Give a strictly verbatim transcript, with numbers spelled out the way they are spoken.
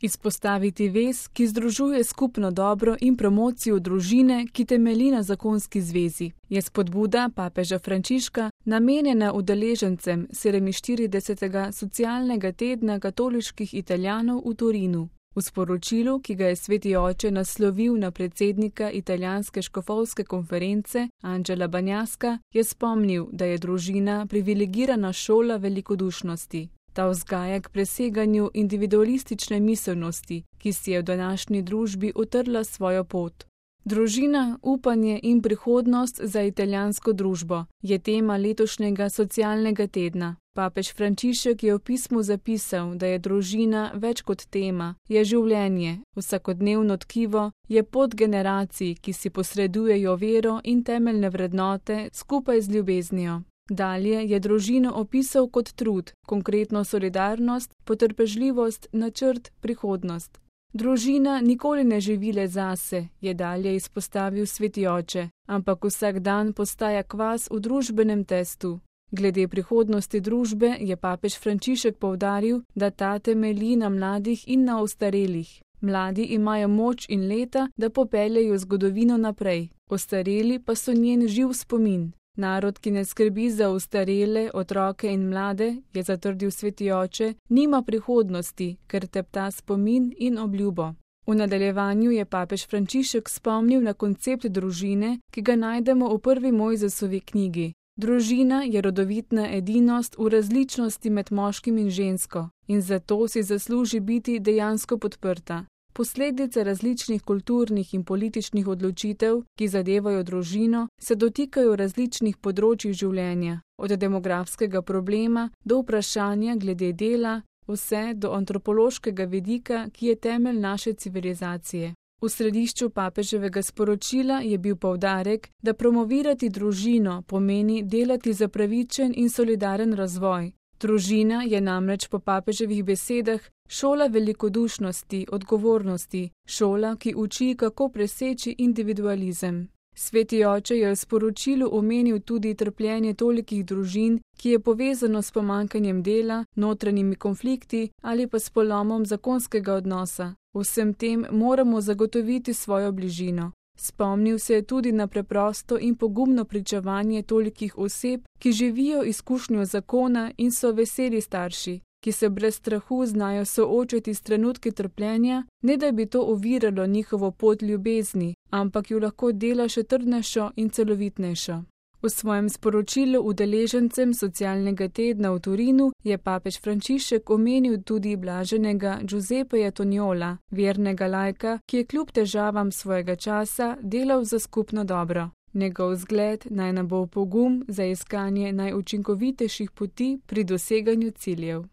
Izpostaviti vez, ki združuje skupno dobro in promocijo družine, ki temelji na zakonski zvezi, je spodbuda papeža Frančiška namenjena udeležencem sedeminštiridesetega socialnega tedna katoliških Italijanov v Torinu. V sporočilu, ki ga je sveti oče naslovil na predsednika italijanske škofovske konference Angela Bagnaska, je spomnil, da je družina privilegirana šola velikodušnosti. Ta vzgaja k preseganju individualistične miselnosti, ki si je v današnji družbi utrla svojo pot. Družina, upanje in prihodnost za italijansko družbo je tema letošnjega socialnega tedna. Papež Frančišek je v pismu zapisal, da je družina več kot tema, je življenje, vsakodnevno tkivo, je pot generacij, ki si posredujejo vero in temeljne vrednote skupaj z ljubeznijo. Dalje je družino opisal kot trud, konkretno solidarnost, potrpežljivost, načrt, prihodnost. Družina nikoli ne živi le zase, je dalje izpostavil sveti oče, ampak vsak dan postaja kvas v družbenem testu. Glede prihodnosti družbe je papež Frančišek poudaril, da ta temelji na mladih in na ostarelih. Mladi imajo moč in leta, da popeljejo zgodovino naprej, ostareli pa so njen živ spomin. Narod, ki ne skrbi za ostarele, otroke in mlade, je zatrdil sveti oče, nima prihodnosti, ker tepta spomin in obljubo. V nadaljevanju je papež Frančišek spomnil na koncept družine, ki ga najdemo v prvi Mojzesovi knjigi. Družina je rodovitna edinost v različnosti med moškim in žensko in zato si zasluži biti dejansko podprta. Posledice različnih kulturnih in političnih odločitev, ki zadevajo družino, se dotikajo različnih področij življenja, od demografskega problema do vprašanja glede dela, vse do antropološkega vidika, ki je temelj naše civilizacije. V središču papeževega sporočila je bil poudarek, da promovirati družino pomeni delati za pravičen in solidaren razvoj. Družina je namreč po papeževih besedah šola velikodušnosti, odgovornosti, šola, ki uči, kako preseči individualizem. Sveti oče je v sporočilu omenil tudi trpljenje tolikih družin, ki je povezano s pomanjkanjem dela, notranjimi konflikti ali pa s polomom zakonskega odnosa. Vsem tem moramo zagotoviti svojo bližino. Spomnil se je tudi na preprosto in pogumno pričevanje tolikih oseb, ki živijo izkušnjo zakona in so veseli starši, ki se brez strahu znajo soočiti s trenutki trpljenja, ne da bi to oviralo njihovo pot ljubezni, ampak jo lahko dela še trdnejšo in celovitnejšo. V svojem sporočilu udeležencem socialnega tedna v Torinu je papež Frančišek omenil tudi blaženega Giuseppeja Toniola, vernega laika, ki je kljub težavam svojega časa delal za skupno dobro. Njegov zgled naj nam bo pogum za iskanje najučinkovitejših poti pri doseganju ciljev.